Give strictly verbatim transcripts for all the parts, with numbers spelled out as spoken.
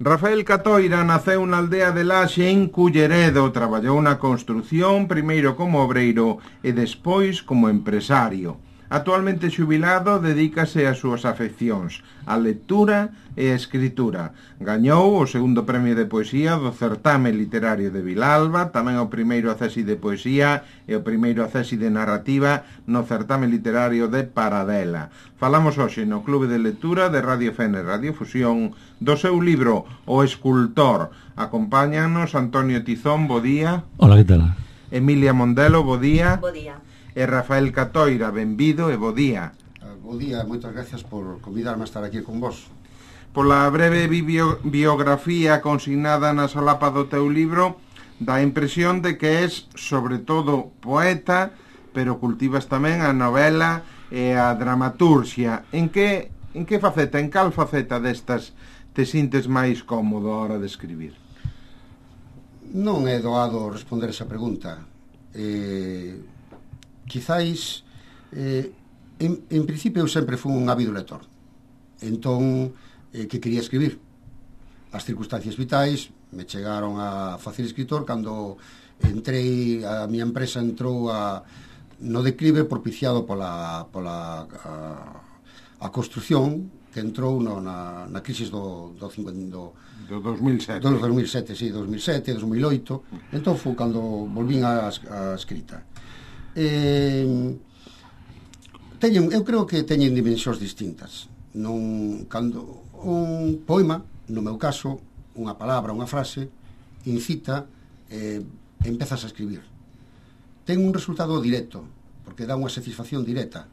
Rafael Catoira naceu na aldea de Laxe en Culleredo, traballou na construción, primeiro como obreiro e despois como empresario. Actualmente xubilado, dedícase ás súas afeccións, a lectura e a escritura. Gañou o segundo premio de poesía do Certame Literario de Vilalba, tamén o primeiro accesi de poesía e o primeiro accesi de narrativa no Certame Literario de Paradela. Falamos hoxe no Clube de Lectura de Radio Fene Radio Fusión do seu libro O Escultor. Acompáñanos Antonio Tizón, bo día. Hola, que tal? Emilia Mondelo, bo día. Bo día. E Rafael Catoira, benvido e bo día. Uh, bo día, moitas gracias por convidarme a estar aquí con vos. Pola breve bio, biografía consignada na solapa do teu libro, dá a impresión de que és, sobre todo, poeta, pero cultivas tamén a novela e a dramaturxia. En que, en que faceta, en cal faceta destas te sintes máis cómodo a hora de escribir? Non é doado responder esa pregunta. Eh... Quizáis eh, en, en principio eu sempre fui un ávido lector, entón eh, que quería escribir. As circunstancias vitais me chegaron a facer escritor cando entrei, a miña empresa entrou a, no declive propiciado pola, pola a, a construción que entrou no, na, na crisis do, do, do, do dos mil sete do dos mil sete, sí, dos mil sete, dos mil oito. Entón foi cando volvín a, a escrita. Eh, teñen, eu creo que teñen dimensións distintas. Non, cando un poema, no meu caso, unha palabra, unha frase incita, eh, empezas a escribir. Ten un resultado directo, porque dá unha satisfacción directa.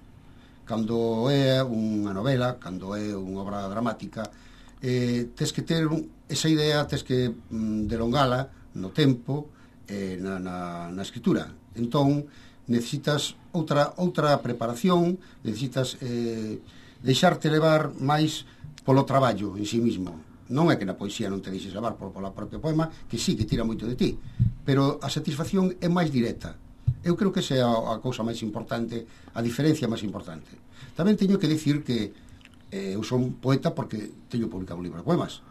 Cando é unha novela, cando é unha obra dramática, eh, tes que ter esa idea, tes que mm, delongala no tempo, eh, na, na, na escritura. Entón necesitas outra outra preparación, necesitas eh, deixarte levar máis polo traballo en sí mismo. Non é que na poesía non te deixes levar por, pola propia poema, que sí, que tira moito de ti, pero a satisfacción é máis directa. Eu creo que esa é a, a cousa máis importante, a diferencia máis importante. Tamén teño que dicir que eh, eu son poeta porque teño publicado un libro de poemas.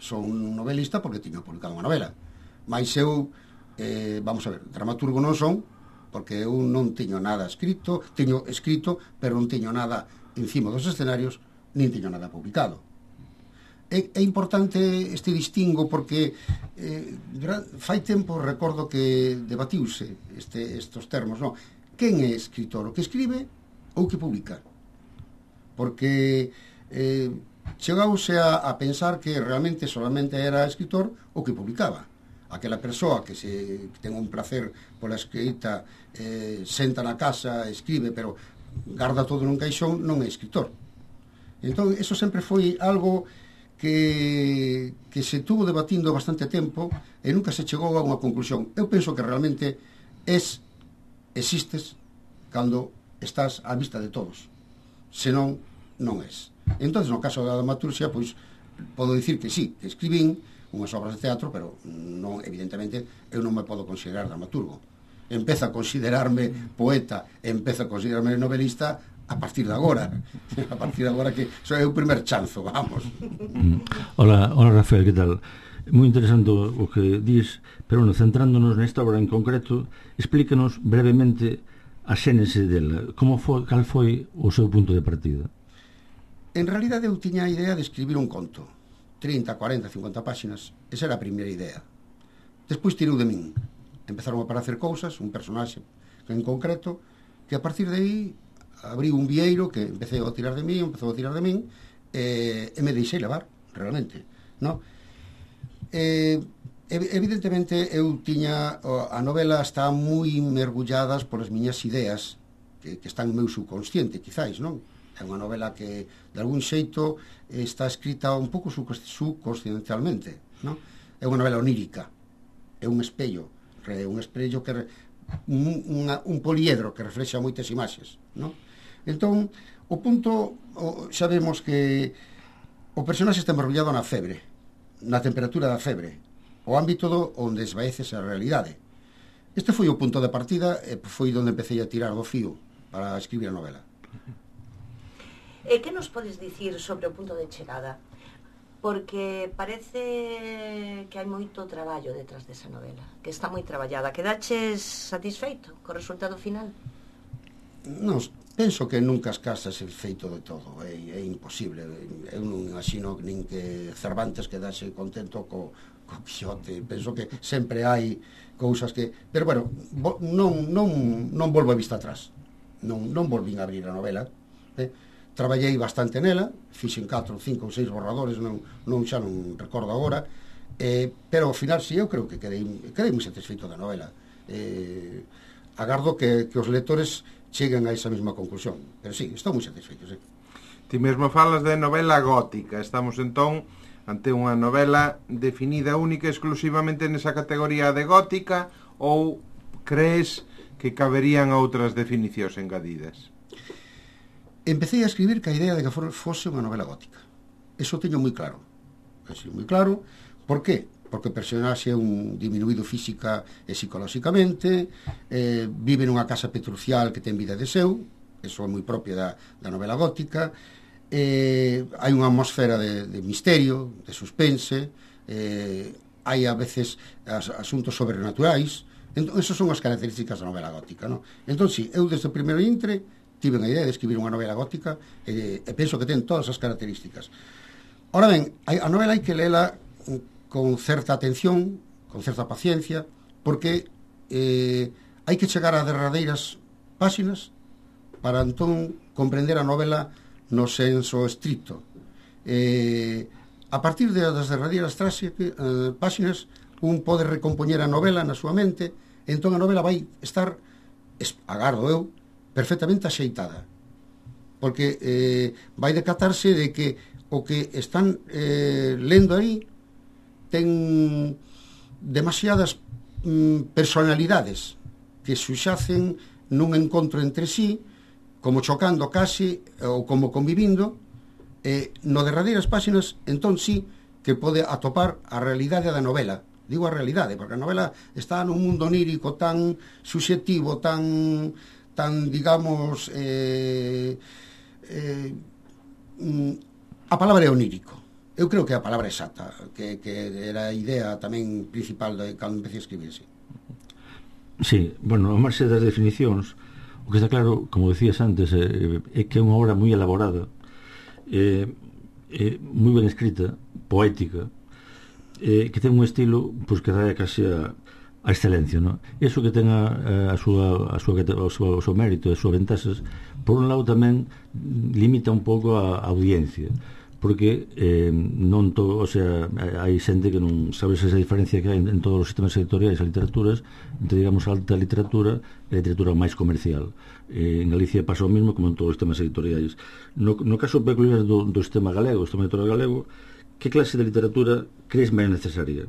Son un novelista porque teño publicado unha novela. Mais eu, eh, vamos a ver, dramaturgo non son, porque eu non teño nada escrito, teño escrito, pero non teño nada encima dos escenarios, nin teño nada publicado. É, é importante este distingo porque eh, fai tempo recordo que debatiuse este, estos termos, non? Quen é escritor? O que escribe ou que publica? Porque eh, chegouse a, a pensar que realmente solamente era escritor o que publicaba. Aquela persoa que se que ten un placer pola escrita, eh, senta na casa, escribe, pero garda todo nun caixón, non é escritor. Entón, eso sempre foi algo que, que se tuvo debatindo bastante tempo e nunca se chegou a unha conclusión. Eu penso que realmente es, existes cando estás á vista de todos. Senón, non es. Entón, no caso da dramaturxia, pois, podo dicir que sí, que escribín unhas obras de teatro, pero non, evidentemente eu non me podo considerar dramaturgo. Empezo a considerarme poeta, empezo a considerarme novelista a partir de agora. A partir de agora que soy o primer chanzo, vamos. Hola, hola Rafael, que tal? Moi interesante o que dis, pero bueno, centrándonos nesta obra en concreto, explícanos brevemente a xénese dela. Como foi, cal foi o seu punto de partida? En realidade eu tiña a idea de escribir un conto. trinta, cuarenta, cincuenta páxinas. Esa era a primeira idea. Despois tirou de min. Empezaron a aparecer cousas, un personaxe en concreto, que a partir de aí abriu un vieiro que empecé a tirar de min, empezou a tirar de min, e, e me deixei levar, realmente. No? E, evidentemente, eu tiña... A novela está moi mergulladas polas miñas ideas, que, que están no meu subconsciente, quizáis, non? É unha novela que, de algún xeito, está escrita un pouco subconsciencialmente, non? É unha novela onírica, é un espello, é un espello que un, unha, un poliedro que reflexa moitas imaxes, non? Entón, o punto, o, xa vemos que o personaxe está mergullado na febre, na temperatura da febre, o ámbito do onde esvaece a realidade. Este foi o punto de partida e foi onde empecé a tirar do fío para escribir a novela. E que nos podes dicir sobre o punto de chegada? porque parece que hai moito traballo detrás desa novela, que está moi traballada. Quedaches satisfeito co resultado final? Non, penso que nunca as casas é feito de todo, é, é imposible. Eu non imagino nin que Cervantes quedase contento co, co Quixote. Penso que sempre hai cousas que... Pero, bueno, non, non, non volvo a vista atrás. Non, non volvín a abrir a novela. Eh? Traballei bastante nela, fixen catro, cinco ou seis borradores, non, non xa non recordo agora, eh, pero ao final, si, eu creo que quedei, quedei moi satisfeito da novela. Eh, agardo que, que os lectores cheguen a esa mesma conclusión, pero sí, estou moi satisfeito, sí. Ti mesmo falas de novela gótica. Estamos entón ante unha novela definida única exclusivamente nesa categoría de gótica, ou crees que caberían outras definicións engadidas? Empecé a escribir ca idea de que fose unha novela gótica. Eso teño moi claro. Eso moi claro. Por qué? Porque o personaxe é un diminuído física e psicolóxicamente, eh, vive nunha casa petrucial que ten vida de seu, eso é moi propio da, da novela gótica, eh, hai unha atmosfera de, de misterio, de suspense, eh, hai a veces as, asuntos sobrenaturais. Entón, esas son as características da novela gótica, non? Entón, si, eu desde o primeiro intre tive unha idea de escribir unha novela gótica e, e penso que ten todas as características. Ora ben, a novela hai que lela con certa atención, con certa paciencia, porque eh, hai que chegar a derradeiras páxinas para entón comprender a novela no senso estricto. Eh, a partir de, das derradeiras traxe, eh, páxinas, un pode recompoñer a novela na súa mente, entón a novela vai estar, agardo eu, perfectamente axeitada, porque eh, vai decatarse de que o que están eh, lendo aí ten demasiadas mm, personalidades que suxacen nun encontro entre sí, como chocando casi ou como convivindo, e eh, no derradeiras páxinas entón sí que pode atopar a realidade da novela. Digo a realidade, porque a novela está nun mundo onírico tan subxectivo, tan... tan, digamos, eh, eh, a palabra é onírico. Eu creo que a palabra exacta, que, que era a idea tamén principal de cando empecé a escribir, sí. Sí, bueno, a marxe das definicións, o que está claro, como decías antes, é, é que é unha obra moi elaborada, é, é moi ben escrita, poética, é, que ten un estilo pois, que dá casi a a excelencia, non? Eso que ten a, a, súa, a, súa, a súa, o seu mérito e as súas ventaxas, por un lado tamén limita un pouco a, a audiencia, porque eh, non todo, o sea, hai xente que non sabes esa diferencia que hai en, en todos os sistemas editoriais e literaturas entre, digamos, a alta literatura e a literatura máis comercial. Eh, en Galicia pasa o mesmo como en todos os sistemas editoriais. No, no caso peculiar do, do sistema galego, do sistema editorial galego, que clase de literatura crees máis necesaria?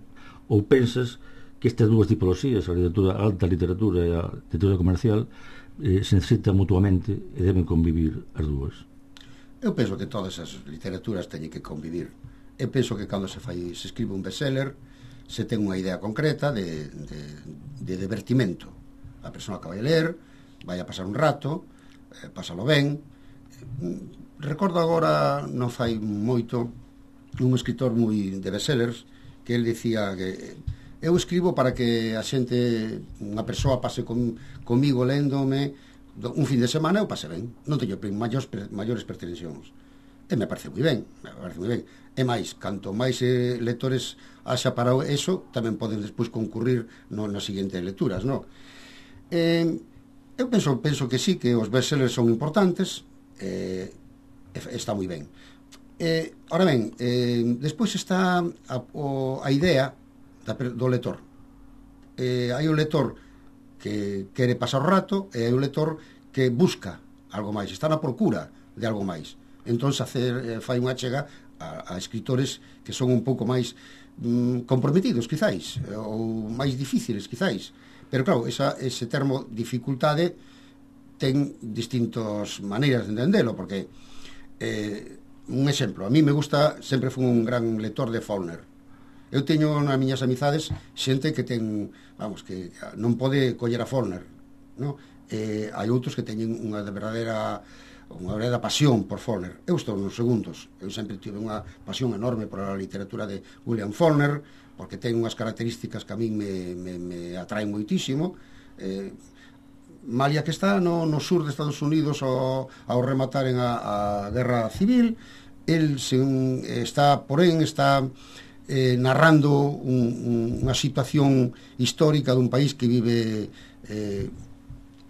Ou pensas que estas dúas tipoloxías, a literatura, a alta literatura e a literatura comercial, eh, se necesitan mutuamente e deben convivir as dúas? Eu penso que todas as literaturas teñen que convivir. Eu penso que cando se fai, se escribe un bestseller, se ten unha idea concreta de, de, de divertimento. A persoa que vai a ler, vai a pasar un rato, eh, pásalo ben. Recordo agora, non fai moito, un escritor moi de bestsellers, que el dicía que eu escribo para que a xente, unha persoa pase con, comigo lendome un fin de semana, eu pase ben, non teño maiores, maiores pretensións, e me parece moi ben, me parece moi ben. E máis, canto máis eh, lectores haxa para eso, tamén poden despois concurrir no, nas seguintes lecturas, non? Eh, eu penso, penso que sí, que os bestsellers son importantes, eh, está moi ben. Eh, ora ben, eh, despois está a, o, a idea do lector. Eh, hai un lector que quere pasar o rato e hai un lector que busca algo máis, está na procura de algo máis. Entón, hacer, eh, fai unha chega a, a escritores que son un pouco máis mm, comprometidos, quizáis, ou máis difíciles, quizáis. Pero, claro, esa, ese termo dificultade ten distintas maneiras de entendelo, porque eh, un exemplo, a mí me gusta, sempre fui un gran lector de Faulkner. Eu teño nas miñas amizades xente que ten, vamos, que non pode coller a Faulkner, non? Eh, hai outros que teñen unha de verdadeira unha verdadeira pasión por Faulkner. Eu estou nos segundos. Eu sempre tive unha pasión enorme por a literatura de William Faulkner, porque ten unhas características que a min me, me, me atraen moitísimo. Eh, Malia que está no, no sur de Estados Unidos ao, ao remataren a, a Guerra Civil, el se, está, porén, está eh, narrando un, un, unha situación histórica dun país que vive eh,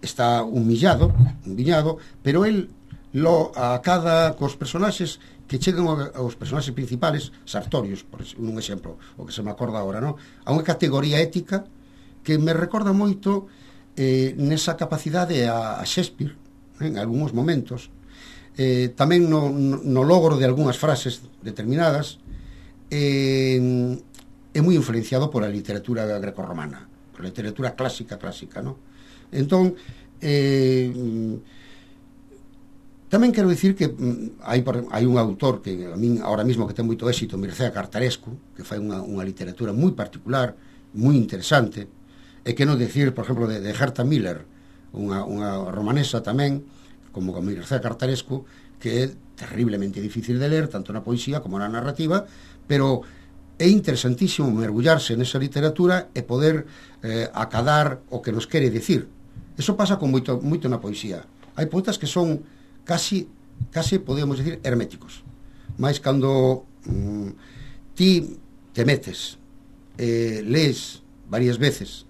está humillado, humillado, pero el lo, a cada cos personaxes que chegan aos personaxes principales, Sartorius, por un exemplo, o que se me acorda agora, no? A unha categoría ética que me recorda moito eh, nesa capacidade a, a Shakespeare, en algúns momentos, eh, tamén no, no logro de algunhas frases determinadas, eh, é moi influenciado por a literatura grecorromana, por a literatura clásica, clásica, no? Entón, eh, tamén quero dicir que hai, hai un autor que a min ahora mismo que ten moito éxito, Mircea Cartarescu, que fai unha, unha literatura moi particular, moi interesante, e que non decir, por exemplo, de, de Herta Miller, unha, unha romanesa tamén, como con Mircea Cartarescu, que é terriblemente difícil de ler, tanto na poesía como na narrativa, pero é interesantísimo mergullarse nesa literatura e poder eh, acadar o que nos quere dicir. Eso pasa con moito, moito na poesía. Hai poetas que son casi, casi podemos decir, herméticos. Mais cando mm, ti te metes, eh, lees varias veces,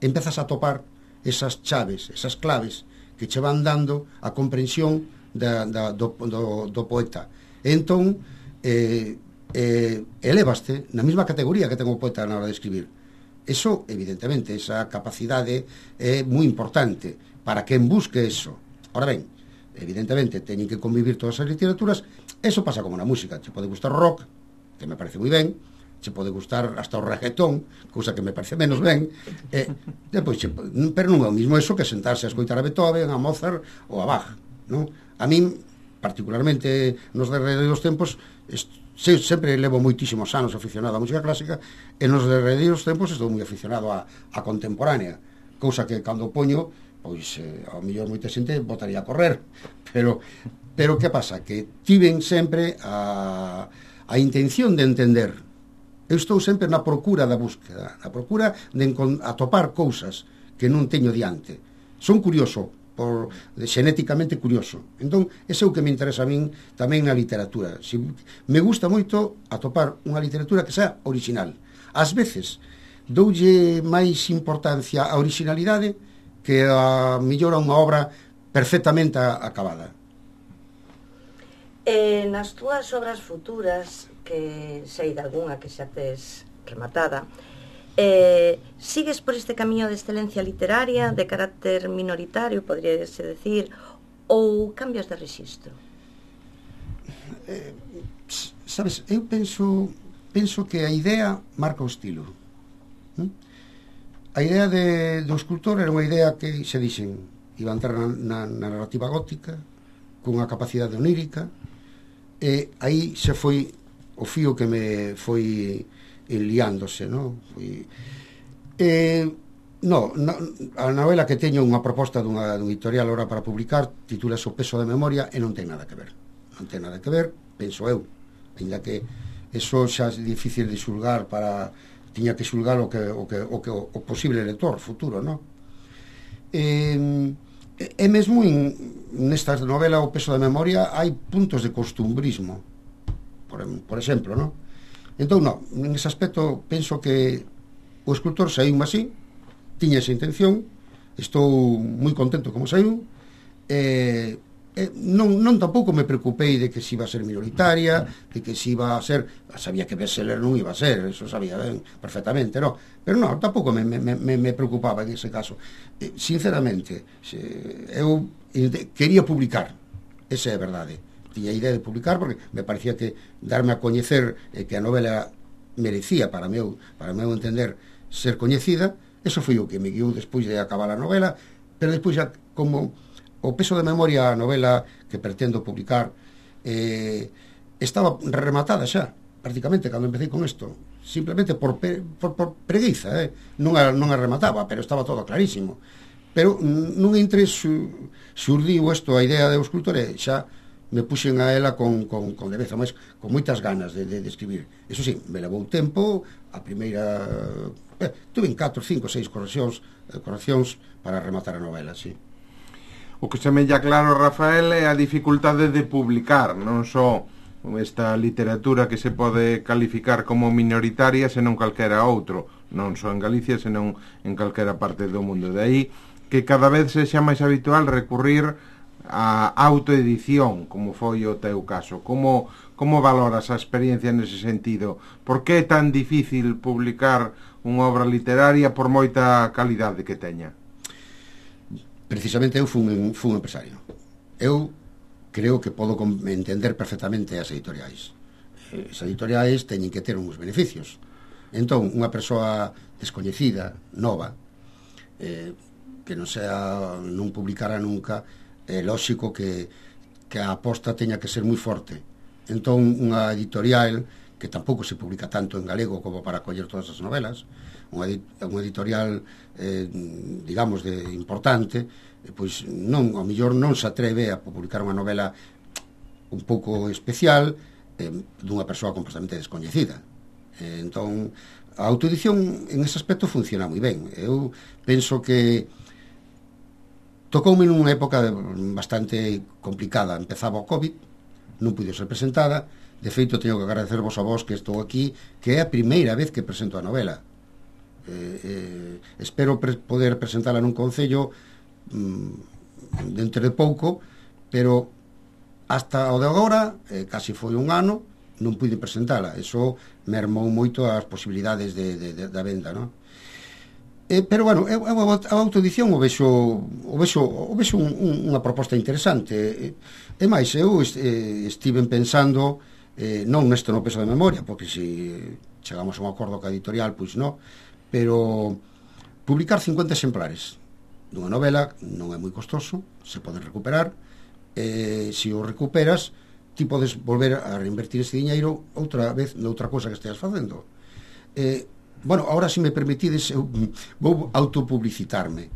empezas a topar esas chaves, esas claves que che van dando a comprensión da, da, do, do, do poeta. E entón, eh, eh, elevaste na mesma categoría que ten o poeta na hora de escribir. Eso, evidentemente, esa capacidade é moi importante para quen busque eso. Ahora ben, evidentemente, teñen que convivir todas as literaturas. Eso pasa como na música. Te pode gustar o rock, que me parece moi ben, se pode gustar hasta o reggaetón, cousa que me parece menos ben, e, depois, che, pero non é o mismo eso que sentarse a escoitar a Beethoven, a Mozart ou a Bach, non? A min, particularmente nos derredeiros tempos, est, se, sempre levo moitísimos anos aficionado á música clásica, e nos derredeiros tempos estou moi aficionado a, a contemporánea, cousa que cando poño, pois, eh, ao mellor moita xente botaría a correr, pero, pero que pasa? Que tiven sempre a, a intención de entender. Eu estou sempre na procura da búsqueda, na procura de atopar cousas que non teño diante. Son curioso, por, de, xenéticamente curioso. Entón, ese é o que me interesa a min tamén na literatura. Si, me gusta moito atopar unha literatura que sea original. Ás veces, doulle máis importancia á originalidade que a mellor a unha obra perfectamente acabada. Eh, nas túas obras futuras, que sei de algunha que xa tes rematada, eh, sigues por este camiño de excelencia literaria, de carácter minoritario, podríase decir, ou cambias de rexistro? Eh, sabes, eu penso penso que a idea marca o estilo. ¿Eh? A idea de, do escultor era unha idea que se dixen iba a entrar na, na, na narrativa gótica, cunha capacidade onírica, e aí se foi o fío que me foi liándose, no? Foi... Eh, no, no, a novela que teño unha proposta dunha, dun editorial ahora para publicar, titúlase O peso da memoria, e non ten nada que ver. Non ten nada que ver, penso eu, ainda que eso xa é difícil de xulgar para... tiña que xulgar o que o, que, o, que, o posible lector futuro, no? Eh, e mesmo in, nesta novela O peso da memoria hai puntos de costumbrismo, por, por exemplo, no? Entón, no, nese aspecto penso que o escultor saiu así, tiña esa intención, estou moi contento como saiu, e eh, non, non tampouco me preocupei de que se iba a ser minoritaria, de que se iba a ser, sabía que bestseller non iba a ser, eso sabía ben perfectamente, no? Pero non, tampouco me, me, me, me preocupaba en ese caso. Eh, sinceramente, se, eu quería publicar, esa é a verdade. Tiña a idea de publicar porque me parecía que darme a coñecer eh, que a novela merecía para meu, para meu entender ser coñecida, eso foi o que me guiou despois de acabar a novela, pero despois já como O peso de memoria, a novela que pretendo publicar, eh, estaba rematada xa, prácticamente, cando empecé con isto. Simplemente por, pe, por, por preguiza, eh? non, a, non a remataba, pero estaba todo clarísimo. pero nun entre su, surdiu isto a idea do escultor e xa me puxen a ela con, con, con leveza, mas con moitas ganas de, de, de escribir. Eso sí, me levou tempo, a primeira eh, tuve catro, cinco, seis correccións eh, correccións para rematar a novela, sí. O que semella claro, Rafael, é a dificultade de publicar, non só esta literatura que se pode calificar como minoritaria, senón calquera outro, non só en Galicia, senón en calquera parte do mundo. De aí que cada vez sexa máis habitual recurrir a autoedición, como foi o teu caso. Como, como valoras a experiencia nese sentido? Por que é tan difícil publicar unha obra literaria por moita calidade que teña? Precisamente eu fun, fun empresario. Eu creo que podo entender perfectamente as editoriais. As editoriais teñen que ter uns beneficios. Entón, unha persoa descoñecida, nova, eh, que non sea, non publicara nunca, é lóxico que, que a aposta teña que ser moi forte. Entón, unha editorial que tampouco se publica tanto en galego como para coller todas as novelas, unha, unha editorial eh, digamos de importante, eh, pois non, ao mellor non se atreve a publicar unha novela un pouco especial eh, dunha persoa completamente descoñecida. Eh, entón, a autoedición en ese aspecto funciona moi ben. Eu penso que tocoume nunha época bastante complicada. Empezaba o COVID, non pude ser presentada. De feito, teño que agradecervos a vos que estou aquí, que é a primeira vez que presento a novela. Eh, eh, espero pre poder presentala nun concello mm, dentro de pouco, pero hasta o de agora, eh, casi foi un ano, non pude presentala. Eso mermou moito as posibilidades de, de, de, da venda, non? Eh, pero bueno, eu, eu a autoedición o vexo o vexo, o vexo un, un, unha proposta interesante. E, e máis, eu est, eh, estiven pensando eh, non nesto no peso de memoria, porque se chegamos a un acordo ca editorial, pois non, pero publicar cincuenta exemplares dunha novela non é moi costoso, se pode recuperar, e se o recuperas ti podes volver a reinvertir ese diñeiro outra vez noutra cousa que esteas facendo. Eh, bueno, ahora se me permitides eu vou autopublicitarme.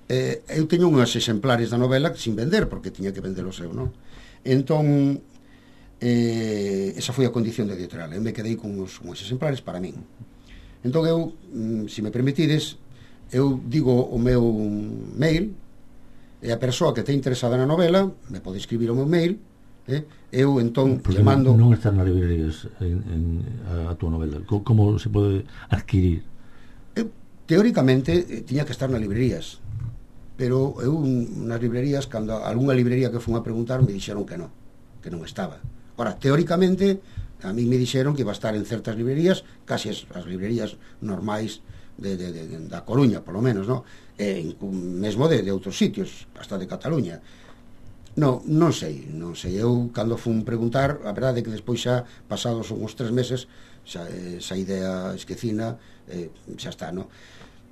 Eh, eu teño unhas exemplares da novela sin vender, porque tiña que vendelos eu, non? Entón eh, esa foi a condición de editorial. Eu me quedei con uns, uns exemplares para min. Entón eu, se me permitides, eu digo o meu mail, e a persoa que te interesada na novela me pode escribir o meu mail, eh? eu entón porque le mando... Non están nas librerías en, en, a, a tua novela. Como, como se pode adquirir? Eu, teóricamente tiña que estar nas librerías, pero eu nas librerías, cando algunha librería que fun a preguntar, me dixeron que non, que non estaba. Ora, teóricamente a mí me dixeron que iba a estar en certas librerías, casi as, as librerías normais de, de, de, da Coruña, polo menos, no? E mesmo de, de outros sitios, hasta de Cataluña. Non, non sei, non sei. Eu, cando fun preguntar, a verdade é que despois xa, pasados uns tres meses, xa, esa idea esquecina, eh, xa está, no?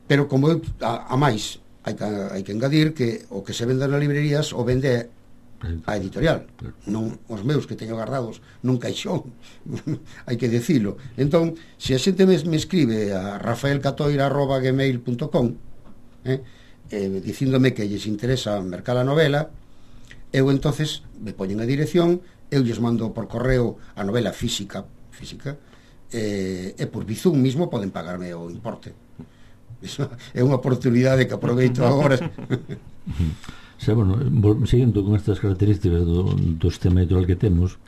Pero como eu, a, a máis, hai que, hai que engadir que o que se vende nas librerías o vende a editorial, non os meus que teño guardados nun caixón, hai que decilo. Entón, se a xente me, me escribe a rafael catoira arroba gmail punto com eh, eh, dicíndome que lles interesa mercar a novela, eu entonces me poñen a dirección, eu lles mando por correo a novela física, física eh, e por Bizum mismo poden pagarme o importe. Eso é unha oportunidade que aproveito agora. Xa, bueno, seguindo con estas características do, do sistema editorial que temos,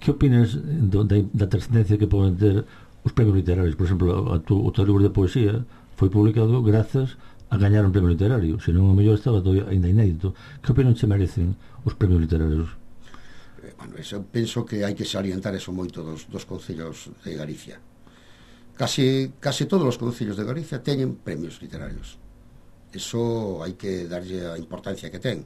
que opinas do, da, da trascendencia que poden ter os premios literarios? Por exemplo, a tu, o teu libro de poesía foi publicado grazas a gañar un premio literario, senón o mellor estaba todavía ainda inédito. Que opinión che merecen os premios literarios? Eh, bueno, eso, penso que hai que salientar eso moito dos, dos concellos de Galicia. Casi, casi todos os concellos de Galicia teñen premios literarios. Eso hai que darlle a importancia que ten,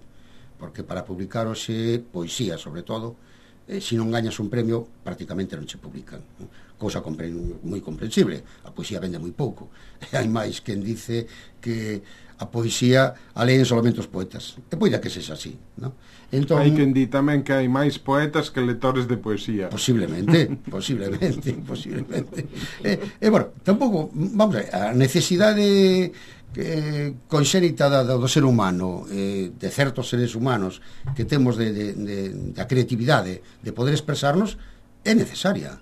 porque para publicar hoxe poesía, sobre todo, eh, se non gañas un premio, prácticamente non se publican, ¿no? Cousa compren, moi comprensible. A poesía vende moi pouco. E hai máis quen dice que a poesía a leen solamente os poetas. E poida que sexa así, ¿no? Entón, hai quen di tamén que hai máis poetas que lectores de poesía. Posiblemente, posiblemente, posiblemente. E, e bueno, tampouco, vamos a ver, a necesidade que conxénita da, do ser humano, eh, de certos seres humanos que temos de, de, de, da creatividade de poder expresarnos, é necesaria.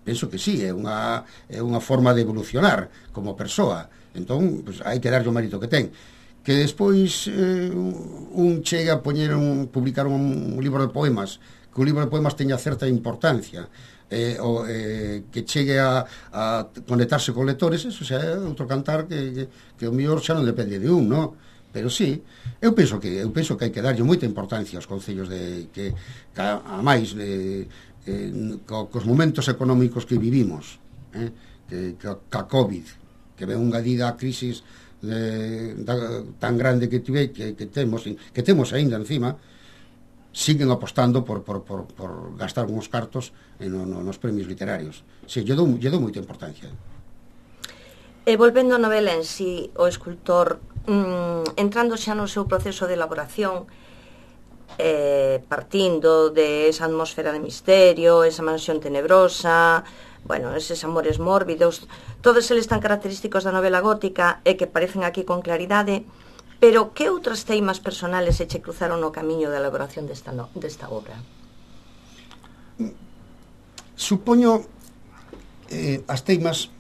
Penso que sí, é unha, é unha forma de evolucionar como persoa. Entón, pues, hai que darlle o mérito que ten. Que despois eh, un chega a poñer un, publicar un, un libro de poemas, que un libro de poemas teña certa importancia, eh, o, eh, que chegue a, a conectarse con lectores, eso xa é outro cantar que, que, que o mellor xa non depende de un, no? Pero sí, eu penso que eu penso que hai que darlle moita importancia aos concellos de que, que a máis de, eh, co, cos momentos económicos que vivimos, eh, que, que a COVID, que ven unha dida a crisis de, da, tan grande que tive, que, que temos que temos aínda encima, siguen apostando por, por, por, por gastar uns cartos en, no, nos premios literarios. Sí, lle dou, lle dou moita importancia. E volvendo a novela en sí, o escultor, mmm, entrando xa no seu proceso de elaboración, eh, partindo de esa atmosfera de misterio, esa mansión tenebrosa, bueno, eses amores mórbidos, todos eles tan característicos da novela gótica e que parecen aquí con claridade. Pero que outras teimas personales se che cruzaron no camiño da elaboración desta, no, desta obra? Supoño eh, as teimas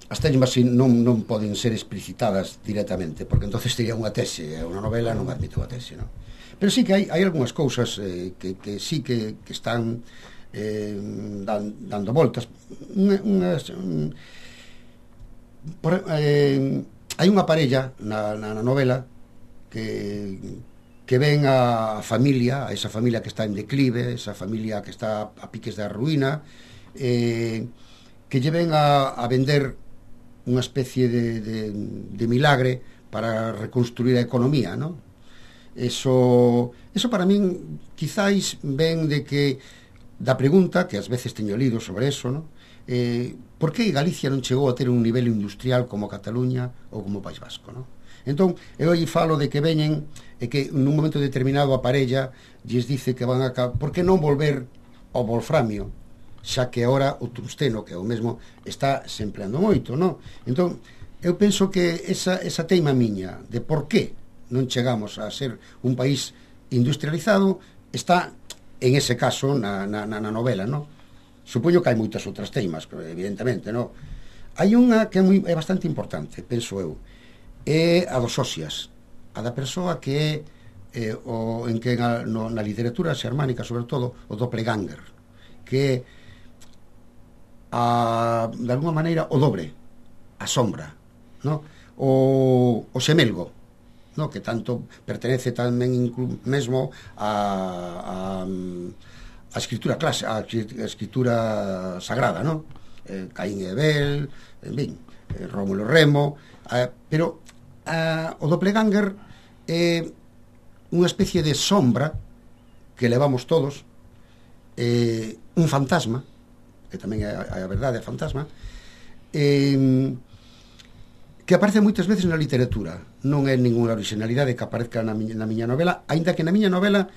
as teimas non, non poden ser explicitadas directamente, porque entonces sería unha tese, unha novela non admite unha tese, non? Pero sí que hai, hai algunhas cousas eh, que, que sí que, que están eh, dan, dando voltas. Unha, unhas, un, por, eh, hai unha parella na, na, na novela que, que ven a familia, a esa familia que está en declive, esa familia que está a piques da ruína, eh, que lle ven a, a vender unha especie de, de, de milagre para reconstruir a economía, ¿no? Eso, eso para min quizáis ven de que da pregunta, que ás veces teño lido sobre eso, ¿no? Eh, por que Galicia non chegou a ter un nivel industrial como Cataluña ou como País Vasco, non? Entón, eu aí falo de que veñen e que nun momento determinado a parella lles dice que van a... Por que non volver ao wolframio, xa que agora o tungsteno, que é o mesmo, está se empleando moito, non? Entón, eu penso que esa, esa teima miña de por que non chegamos a ser un país industrializado está en ese caso na, na, na novela, non? Supoño que hai moitas outras teimas, evidentemente, non? Hai unha que é, moi, é bastante importante, penso eu, é a dos ósias, a da persoa que é eh, o, en que na, no, na literatura xermánica, sobre todo, o doppelganger, que é a, de alguma maneira o dobre, a sombra, non? O, o xemelgo, non? Que tanto pertenece tamén inclu, mesmo a... a a escritura clase, a escritura sagrada, non? Eh, Caín e Abel, en fin, eh, Rómulo e Remo, eh, pero eh, o doppelganger é eh, unha especie de sombra que levamos todos, eh, un fantasma, que tamén é a, a verdade, é fantasma, eh, que aparece moitas veces na literatura. Non é ninguna originalidade que aparezca na miña, na miña novela, aínda que na miña novela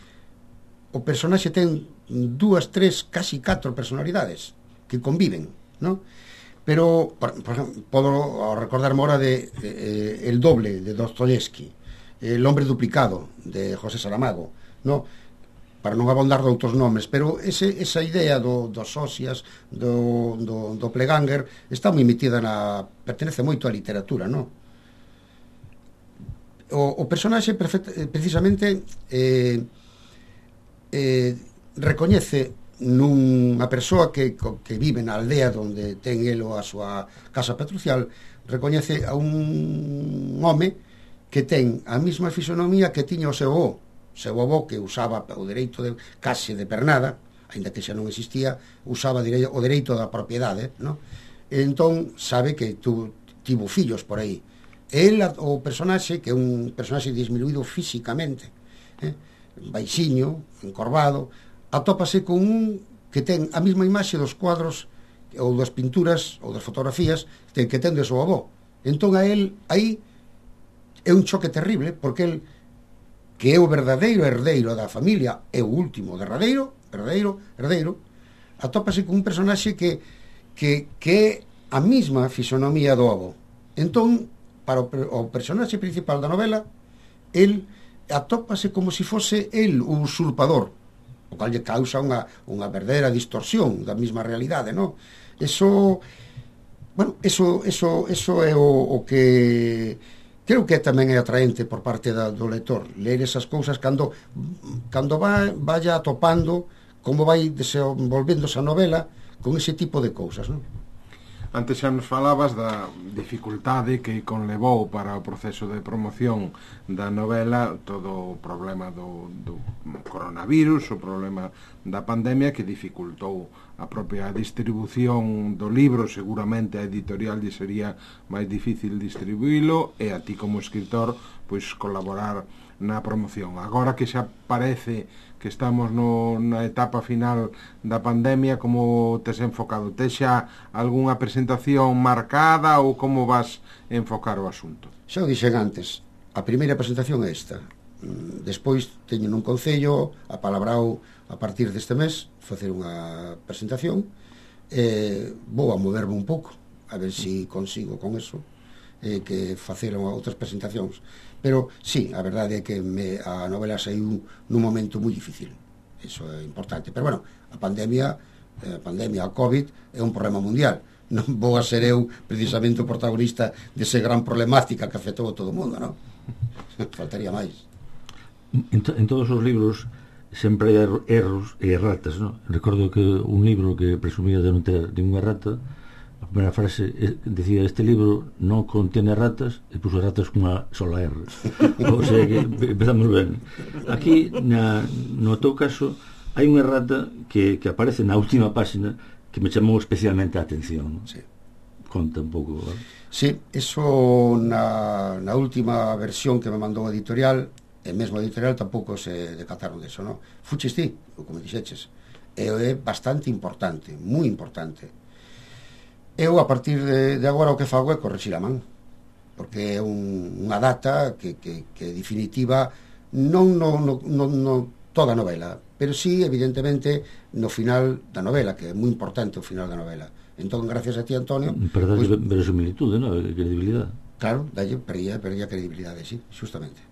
o personaxe ten dúas, tres, casi catro personalidades que conviven, ¿no? Pero, por, por ejemplo, podo recordar ahora de eh, El doble, de Dostoyevsky, El hombre duplicado, de José Saramago, ¿no? Para non abondar de outros nomes, pero ese, esa idea do, dos ósias, do, do, do doppelganger, está moi metida na... pertenece moito á literatura, ¿no? O, o personaxe, perfect, precisamente... Eh, Eh, recoñece nunha persoa que, que vive na aldea onde ten elo a súa casa patrucial, recoñece a un home que ten a mesma fisonomía que tiña o seu avó, seu avó que usaba o dereito de case de pernada, aínda que xa non existía, usaba o dereito da propiedade, ¿no? E entón sabe que tu, tivo fillos por aí. El, o personaxe, que é un personaxe disminuído físicamente, eh? baixiño, encorvado, atópase con un que ten a mesma imaxe dos cuadros ou das pinturas ou das fotografías que ten de seu avó. Entón a él aí é un choque terrible, porque el, que é o verdadeiro herdeiro da familia, é o último derradeiro, herdeiro, herdeiro, atópase con un personaxe que, que, que é a mesma fisonomía do avó. Entón para o, o personaxe principal da novela, el atópase como se fose el o usurpador, o cal lle causa unha, unha verdadeira distorsión da mesma realidade, non? Eso, bueno, eso, eso, eso é o, o que creo que tamén é atraente por parte da, do lector, ler esas cousas cando, cando va, vaya atopando como vai desenvolvendo esa novela con ese tipo de cousas, non? Antes xa nos falabas da dificultade que conlevou para o proceso de promoción da novela todo o problema do, do coronavirus, o problema da pandemia que dificultou a propia distribución do libro. Seguramente a editorial lle sería máis difícil distribuílo e a ti como escritor pois colaborar na promoción. Agora que xa parece que estamos no, na etapa final da pandemia, como tes enfocado? Tes xa algunha presentación marcada ou como vas enfocar o asunto? Xa o dixen antes, a primeira presentación é esta. Despois teño nun concello apalabrao a partir deste mes facer unha presentación, e vou a moverme un pouco a ver se si consigo con eso eh, que facer outras presentacións. Pero sí, a verdade é que me, a novela saiu nun momento moi difícil, eso é importante, pero bueno, a pandemia a pandemia, a COVID é un problema mundial, non vou a ser eu precisamente o protagonista dese gran problemática que afectou a todo o mundo, non? Faltaría máis. En, to, en todos os libros sempre hai erros e erratas, non? Recordo que un libro que presumía de non ter ninguna errata, a primeira frase decía: este libro non contiene ratas, e puso ratas cunha sola R. O sea que empezamos ben. Aquí, na, no teu caso, hai unha errata que, que aparece na última página que me chamou especialmente a atención. Sí. Conta un pouco, ¿vale? Sí, eso na, na última versión que me mandou a editorial, e mesmo a editorial tampouco se decataron deso, non? Fuches ti, como dixeches, e é bastante importante, moi importante. Eu, a partir de, de agora, o que fago é corregir a man, porque é un, unha data que, que, que definitiva non no, no, no, no toda a novela, pero sí, evidentemente, no final da novela, que é moi importante o final da novela. Entón, gracias a ti, Antonio... Para darlle pues, verosimilitude, non? Credibilidade. Claro, dalle, perdía, perdía credibilidade, sí, justamente.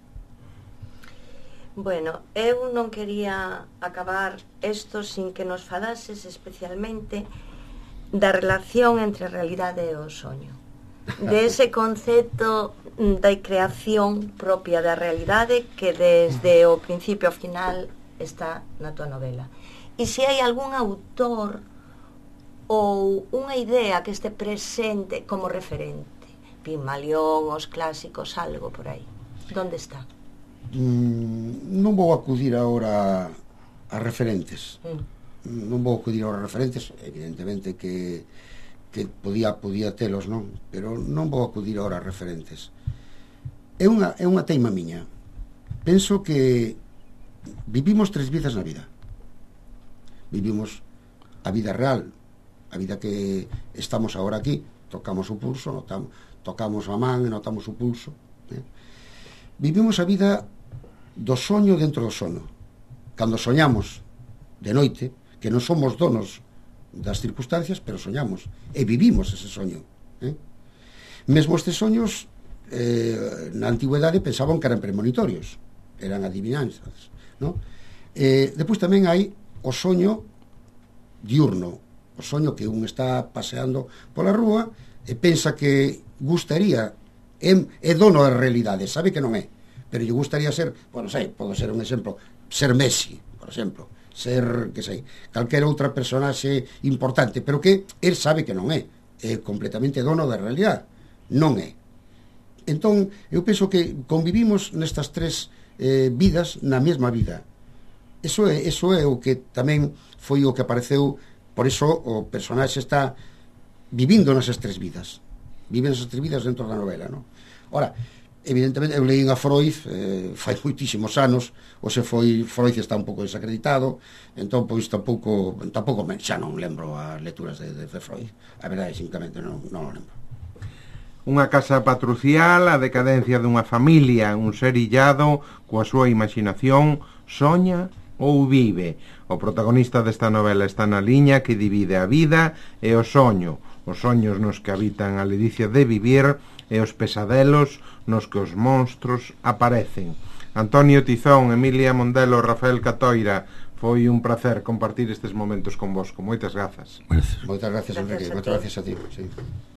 Bueno, eu non quería acabar isto sin que nos falases especialmente da relación entre a realidade e o soño, de ese concepto da creación propia da realidade que desde o principio ao final está na tua novela. E se hai algún autor ou unha idea que este presente como referente, Pigmalión, os clásicos, algo por aí, onde está? Mm, non vou acudir agora a referentes. Mm. Non vou acudir aos referentes, evidentemente que, que podía, podía telos, non? Pero non vou acudir ahora a referentes. É unha, é unha teima miña. Penso que vivimos tres vidas na vida. Vivimos a vida real, a vida que estamos agora aquí, tocamos o pulso, notamos, tocamos a man e notamos o pulso. Eh? Vivimos a vida do soño dentro do sono. Cando soñamos de noite, que non somos donos das circunstancias, pero soñamos e vivimos ese soño, eh? Mesmo estes soños eh, na antigüedade pensaban que eran premonitorios, eran adivinanzas, ¿no? Eh, depois tamén hai o soño diurno, o soño que un está paseando pola rúa e pensa que gustaría, é, é dono da realidade, sabe que non é, pero lle gustaría ser, bueno, sei, pode ser un exemplo, ser Messi, por exemplo, ser, que sei, calquera outra personaxe importante, pero que el sabe que non é, é completamente dono da realidade, non é. Entón, eu penso que convivimos nestas tres eh, vidas na mesma vida. Eso é, eso é o que tamén foi o que apareceu, por iso o personaxe está vivindo nesas tres vidas, vive nesas tres vidas dentro da novela, non? Ora, evidentemente, eu leí a Freud eh, fai moitísimos anos, ou se foi Freud está un pouco desacreditado, entón, pois, tampouco, tampouco xa non lembro as lecturas de, de, de Freud, a verdade, simplemente non, non o lembro. Unha casa patricial, a decadencia dunha familia, un ser illado, coa súa imaginación, soña ou vive. O protagonista desta novela está na liña que divide a vida e o soño, os soños nos que habitan a ledicia de vivir e os pesadelos nos que os monstros aparecen. Antonio Tizón, Emilia Mondelo, Rafael Catoira, foi un placer compartir estes momentos con vosco. Moitas grazas. Gracias. Moitas gracias, Gracias Enrique. a Moitas ti. gracias a ti. Sí.